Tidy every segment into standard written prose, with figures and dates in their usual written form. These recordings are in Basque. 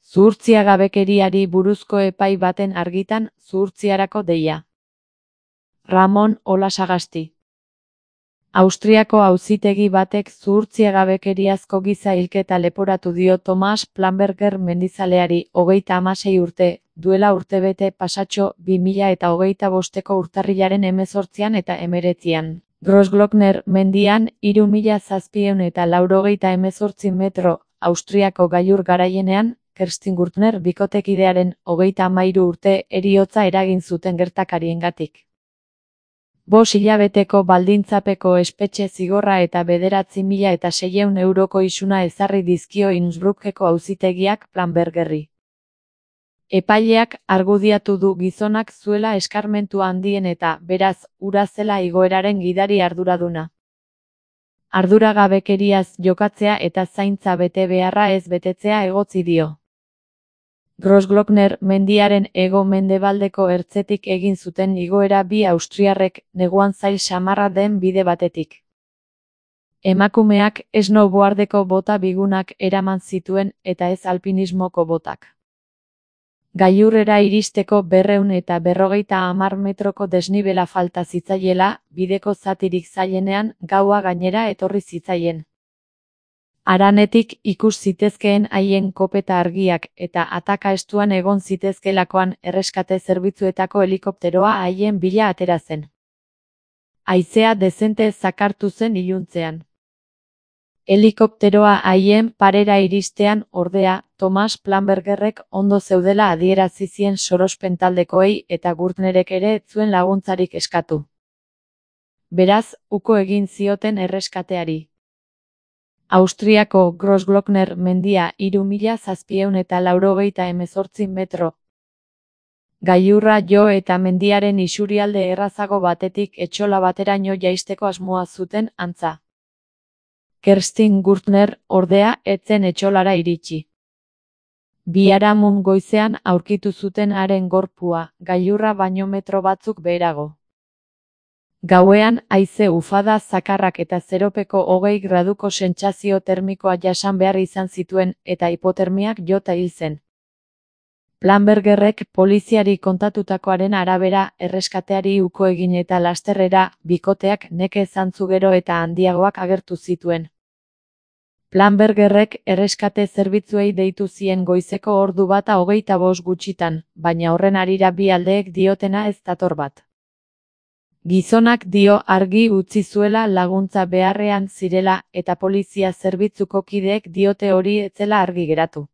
Zuhurtziagabekeriari buruzko epai baten argitan zuhurtziarako deia. Ramon Olasagasti. Austriako auzitegi batek zuhurtziagabekeriazko giza hilketa leporatu dio Thomas Planberger mendizaleari 36 urte, duela urtebete pasatxo 2025ko urtarrilaren 18 eta 19an. Großglockner mendian 3788 metro, Austriako gailur garaienean, Kerstin Gürtner bikotekidearen 33 urte heriotza eragin zuten gertakariengatik. 5 hilabeteko baldintzapeko espetxe zigorra eta 9.600 euroko isuna ezarri dizkio Innsbruckeko auzitegiak Planbergerri. Epaileak argudiatu du gizonak zuela eskarmentu handien eta, beraz, hura zela igoeraren gidari arduraduna. Arduragabekeriaz jokatzea eta zaintza betebeharra ez betetzea egotzi dio. Großglockner mendiaren hego-mendebaldeko ertzetik egin zuten igoera bi austriarrek neguan zail samarra den bide batetik. Emakumeak snowboardeko bota bigunak eraman zituen eta ez alpinismoko botak. Gailurrera iristeko 250 metroko desnibela falta zitzaiela, bideko zatirik zailenean gaua gainera etorri zitzaien. Haranetik ikus zitezkeen haien kopeta argiak eta ataka estuan egon zitezkelakoan erreskate zerbitzuetako helikopteroa haien bila atera zen. Haizea dezente zakartu zen iluntzean. Helikopteroa haien parera iristean, ordea, Thomas Planbergerrek ondo zeudela adierazi zien sorospen taldekoei eta Gürtnerek ere ez zuen laguntzarik eskatu. Beraz, uko egin zioten erreskateari. Austriako Großglockner mendia 3788 metro. Gailurra jo eta mendiaren isurialde errazago batetik etxola bateraino jaisteko asmoa zuten antza. Kerstin Gürtner, ordea, ez zen etxolara iritsi. Biharamun goizean aurkitu zuten haren gorpua, gailurra baino metro batzuk beherago. Gauean haize ufada zakarrak eta zeropeko 20 graduko sentsazio termikoa jasan behar izan zituen eta hipotermiak jota hil zen. Planbergerrek poliziari kontatutakoaren arabera erreskateari uko egin eta lasterrera bikoteak neke zantzu gero eta handiagoak agertu zituen. Planbergerrek erreskate zerbitzuei deitu zien goizeko ordu bata 25 gutxitan, baina horren harira bi aldeek diotena ez dator bat. Gizonak dio argi utzi zuela laguntza beharrean zirela eta polizia zerbitzuko kideek diote hori ez zela argi geratu.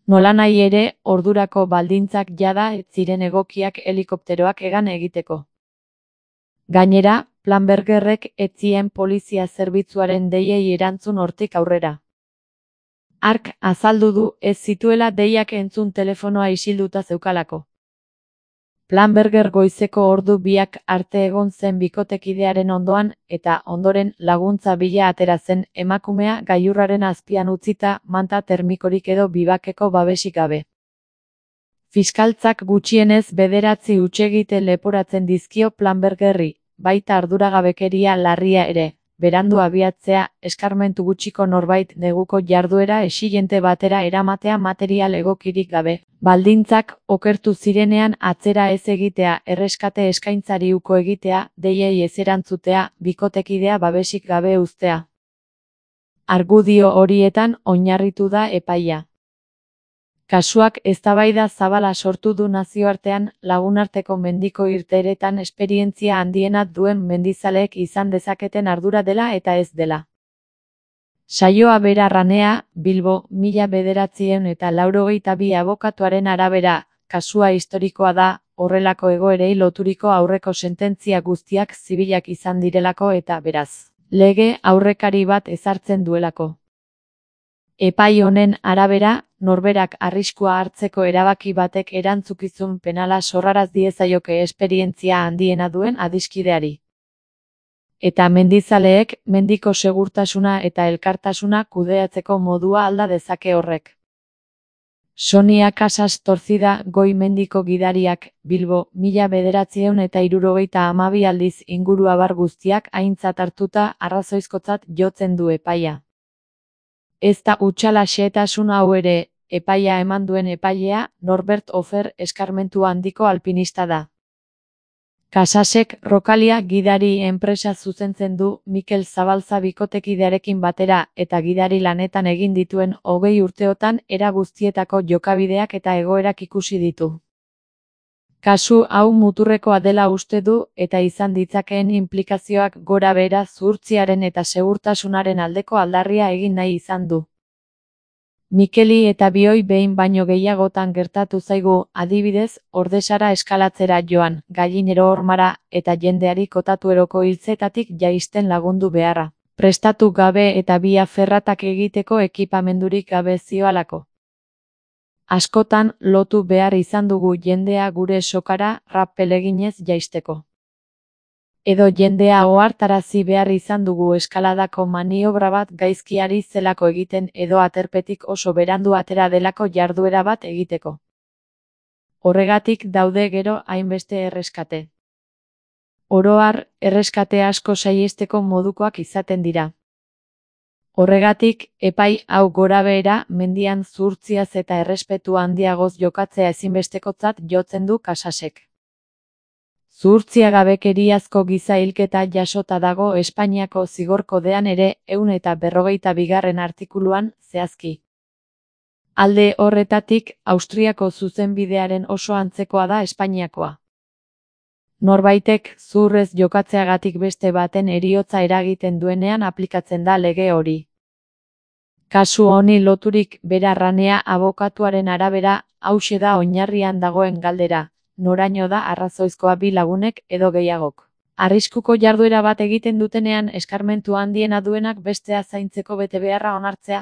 Nolanahi ere, ordurako baldintzak jada ez ziren egokiak helikopteroak hegan egiteko. Gainera, Planbergerrek ez zien polizia zerbitzuaren deiei erantzun hortik aurrera. Hark azaldu du ez zituela deiak entzun telefonoa isilduta zeukalako. Planberger goizeko ordu biak arte egon zen bikotekidearen ondoan eta ondoren laguntza bila atera zen emakumea gailurraren azpian utzita manta termikorik edo bibakeko babesik gabe. Fiskaltzak gutxienez 9 hutsegite leporatzen dizkio Planbergerri, baita arduragabekeria larria ere, berandu abiatzea, eskarmentu gutxiko norbait neguko jarduera exigente batera eramatea material egokirik gabe. Baldintzak okertu zirenean atzera ez egitea, erreskate eskaintzari uko egitea, deiei ez erantzutea, bikotekidea babesik gabe uztea. Argudio horietan oinarritu da epaia. Kasuak eztabaida zabala sortu du nazioartean, lagunarteko mendiko irteeretan esperientzia handiena duen mendizaleek izan dezaketen ardura dela eta ez dela. Saioa bera ranea, Bilbo, 1982 abokatuaren arabera, kasua historikoa da, horrelako egoerei loturiko aurreko sententzia guztiak zibilak izan direlako eta beraz, lege aurrekari bat ezartzen duelako. Epai honen arabera, norberak arriskua hartzeko erabaki batek erantzukizun penala sorraraz diezaioke esperientzia handiena duen adiskideari. Eta mendizaleek mendiko segurtasuna eta elkartasuna kudeatzeko modua alda dezake horrek. Sonia Casas Torcida goi mendiko gidariak, Bilbo, 1972 aldiz inguru abar guztiak aintzat hartuta arrazoizkotzat jotzen du epaia. Ez da hutsala xehetasun hau ere, epaia eman duen epailea Norbert Hofer eskarmentu handiko alpinista da. Casasek Rocalia gidari enpresa zuzentzen du Mikel Zabalza bikotekidearekin batera eta gidari lanetan egin dituen 20 urteotan era guztietako jokabideak eta egoerak ikusi ditu. Kasu hau muturrekoa dela uste du eta izan ditzakeen inplikazioak gora behera zuhurtziaren eta segurtasunaren aldeko aldarria egin nahi izan du. Mikeli eta bioi behin baino gehiagotan gertatu zaigu, adibidez, Ordesara eskalatzera joan, Gallinero Hormara eta jendeari kotatueroko hiltzetatik jaisten lagundu beharra. Prestatu gabe eta bia ferratak egiteko ekipamendurik gabe zioalako. Askotan lotu behar izan dugu jendea gure sokara rappel eginez jaisteko. Edo jendea ohartarazi behar izan dugu eskaladako maniobra bat gaizkiari zelako egiten edo aterpetik oso berandu atera delako jarduera bat egiteko. Horregatik daude gero hainbeste erreskate. Oro har, erreskate asko saihesteko modukoak izaten dira. Horregatik, epai hau gorabehera mendian zuhurtziaz eta errespetu handiagoz jokatzea ezinbestekotzat jotzen du Casasek. Zuhurtziagabekeriazko giza hilketa jasota dago Espainiako zigor kodean ere 152. artikuluan zehazki. Alde horretatik, Austriako zuzenbidearen oso antzekoa da Espainiakoa. Norbaitek zuhurrez jokatzeagatik beste baten heriotza eragiten duenean aplikatzen da lege hori. Kasu honi loturik Berarranea abokatuaren arabera, hauxe da oinarrian dagoen galdera. Noraino da arrazoizkoa bi lagunek edo gehiagok. Arriskuko jarduera bat egiten dutenean eskarmentu handiena duenak bestea zaintzeko betebeharra onartzea.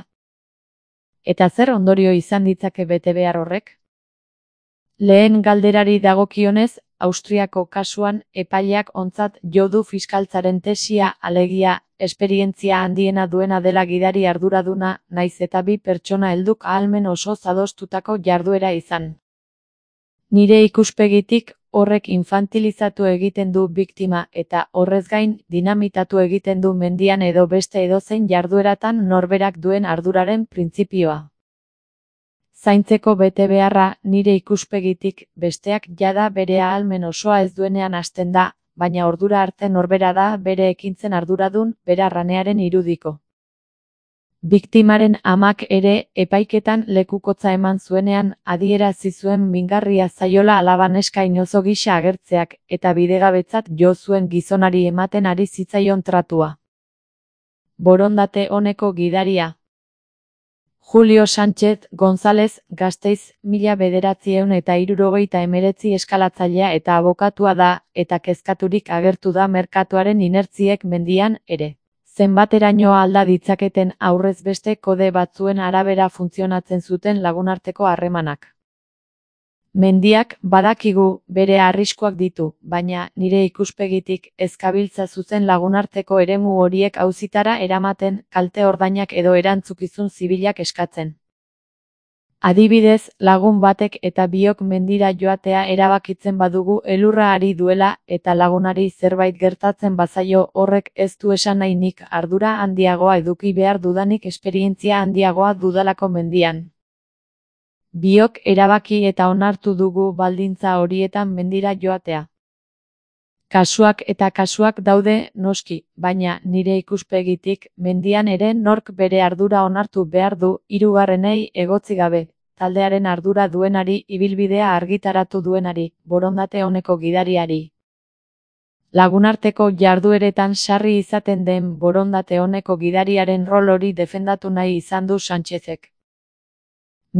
Eta zer ondorio izan ditzake betebehar horrek? Lehen galderari dagokionez, Austriako kasuan epaileak ontzat jo du fiskaltzaren tesia alegia, esperientzia handiena duena dela gidari arduraduna, naiz eta bi pertsona helduk ahalmen osoz adostutako jarduera izan. Nire ikuspegitik horrek infantilizatu egiten du biktima eta horrez gain dinamitatu egiten du mendian edo beste edozein jardueratan norberak duen arduraren printzipioa. Zaintzeko betebeharra nire ikuspegitik besteak jada bere ahalmen osoa ez duenean hasten da, baina ordura arte norbera da bere ekintzen arduradun Berarranearen irudiko. Biktimaren amak ere epaiketan lekukotza eman zuenean adierazi zuen mingarria zaiola alaba neska inozo gisa agertzeak eta bidegabetzat jo zuen gizonari ematen ari zitzaion tratua. Borondate oneko gidaria. Julio Sánchez González, Gasteiz, 1979 eskalatzailea eta abokatua da, eta kezkaturik agertu da merkatuaren inertziek mendian ere. Zenbateraino alda ditzaketen aurrez beste kode batzuen arabera funtzionatzen zuten lagunarteko harremanak. Mendiak badakigu bere arriskuak ditu, baina nire ikuspegitik ez gabiltza zuzen lagunarteko eremu horiek auzitara eramaten, kalte ordainak edo erantzukizun zibilak eskatzen. Adibidez, lagun batek eta biok mendira joatea erabakitzen badugu elurra ari duela eta lagunari zerbait gertatzen bazaio horrek ez du esan nahi nik ardura handiagoa eduki behar dudanik esperientzia handiagoa dudalako mendian. Biok erabaki eta onartu dugu baldintza horietan mendira joatea. Kasuak eta kasuak daude noski, baina nire ikuspegitik mendian ere nork bere ardura onartu behar du hirugarrenei egotzi gabe. Taldearen ardura duenari, ibilbidea argitaratu duenari, borondate oneko gidariari. Lagunarteko jardueretan sarri izaten den borondate oneko gidariaren rol hori defendatu nahi izan du Sánchezek.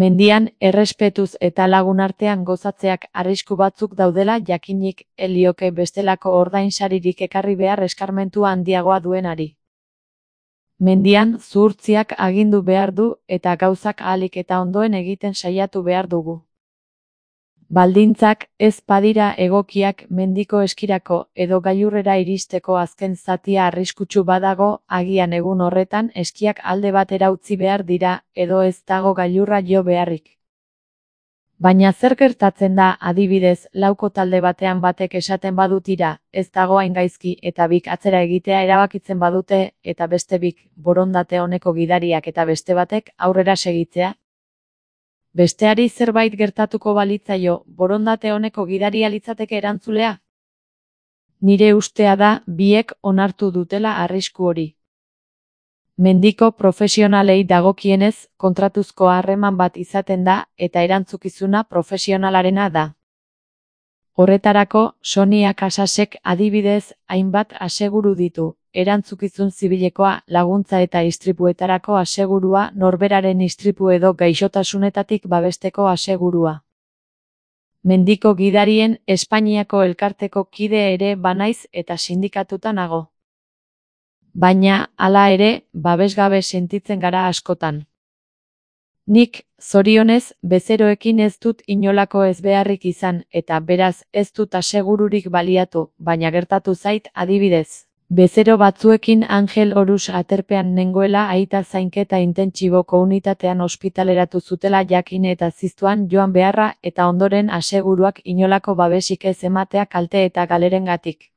Mendian, errespetuz eta lagunartean gozatzeak arrisku batzuk daudela jakinik helioke bestelako ordainsaririk ekarri behar eskarmentu handiagoa duenari. Mendian, zuhurtziak agindu behar du eta gauzak ahalik eta ondoen egiten saiatu behar dugu. Baldintzak ez badira egokiak mendiko eskirako edo gailurrera iristeko azken zatia arriskutsu badago, agian egun horretan eskiak alde batera utzi behar dira edo ez dago gailurra jo beharrik. Baina zer gertatzen da, adibidez, lauko talde batean batek esaten badu tira, ez dago hain gaizki eta bik atzera egitea erabakitzen badute eta beste bik borondate oneko gidariak eta beste batek aurrera segitzea? Besteari zerbait gertatuko balitzaio, borondate oneko gidaria litzateke erantzulea? Nire ustea da, biek onartu dutela arrisku hori. Mendiko profesionalei dagokienez, kontratuzko harreman bat izaten da, eta erantzukizuna profesionalarena da. Horretarako, Sonia Casasek adibidez hainbat aseguru ditu, erantzukizun zibilekoa, laguntza eta istripuetarako asegurua, norberaren istripu edo gaixotasunetatik babesteko asegurua. Mendiko gidarien Espainiako elkarteko kide ere banaiz eta sindikatuta nago. Baina, hala ere, babesgabe sentitzen gara askotan. Nik, zorionez, bezeroekin ez dut inolako ezbeharrik izan, eta beraz ez dut asegururik baliatu, baina gertatu zait adibidez. Bezero batzuekin Angel Orus aterpean nengoela aita zainketa intentsiboko unitatean ospitaleratu zutela jakin eta ziztuan joan beharra eta ondoren aseguruak inolako babesik ez ematea kalte eta galerengatik.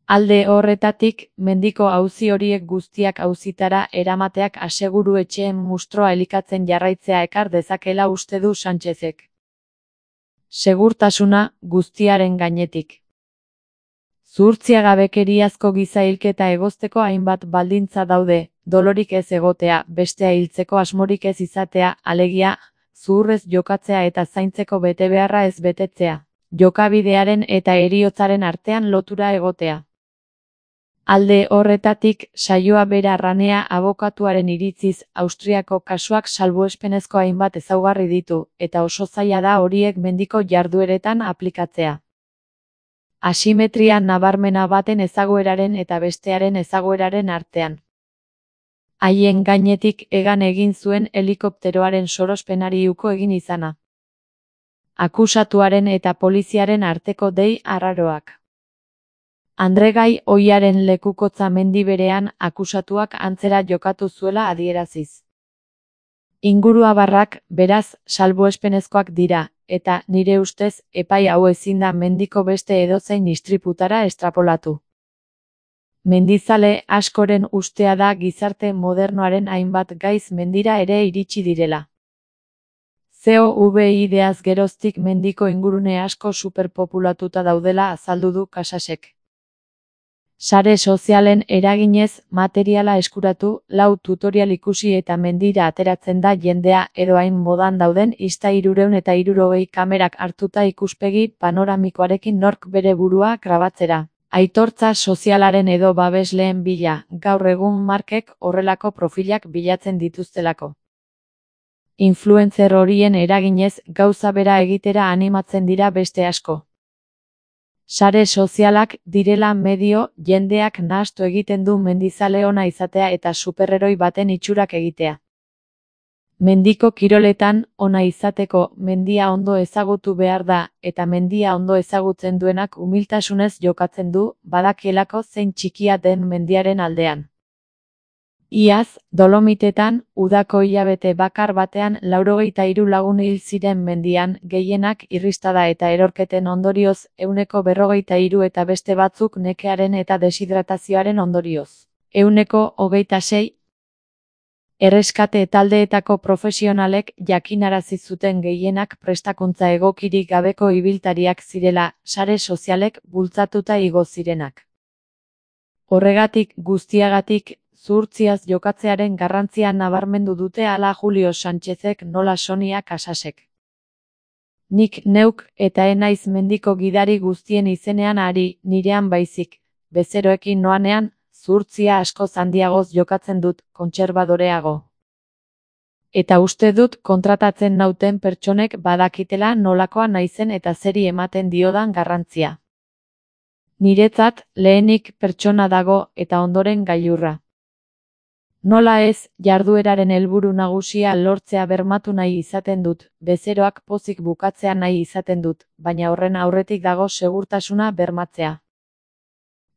Alde horretatik, mendiko auzi horiek guztiak auzitara eramateak aseguru etxeen mustroa elikatzen jarraitzea ekar dezakela uste du Sánchezek. Segurtasuna guztiaren gainetik. Zuhurtziagabekeriazko giza hilketa egozteko hainbat baldintza daude, dolorik ez egotea, bestea hiltzeko asmorik ez izatea, alegia, zuhurrez jokatzea eta zaintzeko betebeharra ez betetzea, jokabidearen eta heriotzaren artean lotura egotea. Alde horretatik, saioa bera Ranea abokatuaren iritziz, Austriako kasuak salbuespenezko hainbat ezaugarri ditu, eta oso zaila da horiek mendiko jardueretan aplikatzea. Asimetria nabarmena baten ezagueraren eta bestearen ezagueraren artean. Haien gainetik hegan egin zuen helikopteroaren sorospenari uko egin izana. Akusatuaren eta poliziaren arteko dei arraroak. Andregai ohiaren lekukotza mendi berean akusatuak antzera jokatu zuela adieraziz. Inguruabarrak, beraz, salbuespenezkoak dira, eta, nire ustez, epai hau ezin da mendiko beste edozein istriputara estrapolatu. Mendizale askoren ustea da gizarte modernoaren hainbat gaiz mendira ere iritsi direla. COVID-ideaz geroztik mendiko ingurune asko superpopulatuta daudela azaldu du Casasek. Sare sozialen eraginez, materiala eskuratu, lau tutorial ikusi eta mendira ateratzen da jendea edo hain modan dauden Insta360 kamerak hartuta ikuspegi panoramikoarekin nork bere burua grabatzera. Aitortza sozialaren edo babesleen bila, gaur egun markek horrelako profilak bilatzen dituztelako. Influencer horien eraginez, gauza bera egitera animatzen dira beste asko. Sare sozialak direla medio, jendeak nahastu egiten du mendizale ona izatea eta superheroi baten itxurak egitea. Mendiko kiroletan, ona izateko, mendia ondo ezagutu behar da, eta mendia ondo ezagutzen duenak umiltasunez jokatzen du, badakielako zein txikia den mendiaren aldean. Iaz, Dolomitetan, udako hilabete bakar batean 93 lagun hil ziren mendian, gehienak irristada eta erorketen ondorioz, 143 eta beste batzuk nekearen eta deshidratazioaren ondorioz. 126. Erreskate taldeetako profesionalek jakinarazi zuten gehienak prestakuntza egokirik gabeko ibiltariak zirela, sare sozialek bultzatuta igo zirenak. Horregatik guztiagatik, zuhurtziaz jokatzearen garrantzia nabarmendu dute hala Julio Sánchezek nola Sonia Casasek. Nik neuk eta enaiz mendiko gidari guztien izenean ari, nirean baizik, bezeroekin noanean, zuhurtzia askoz handiagoz jokatzen dut, kontserbadoreago. Eta uste dut kontratatzen nauten pertsonek badakitela nolakoa naizen eta zeri ematen diodan garrantzia. Niretzat, lehenik pertsona dago eta ondoren gailurra. Nola ez, jardueraren helburu nagusia lortzea bermatu nahi izaten dut, bezeroak pozik bukatzea nahi izaten dut, baina horren aurretik dago segurtasuna bermatzea.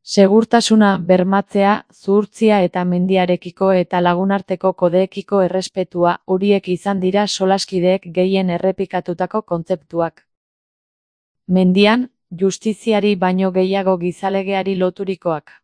Segurtasuna bermatzea, zuhurtzia eta mendiarekiko eta lagunarteko kodeekiko errespetua, horiek izan dira solaskideek gehien errepikatutako kontzeptuak. Mendian, justiziari baino gehiago gizalegeari loturikoak.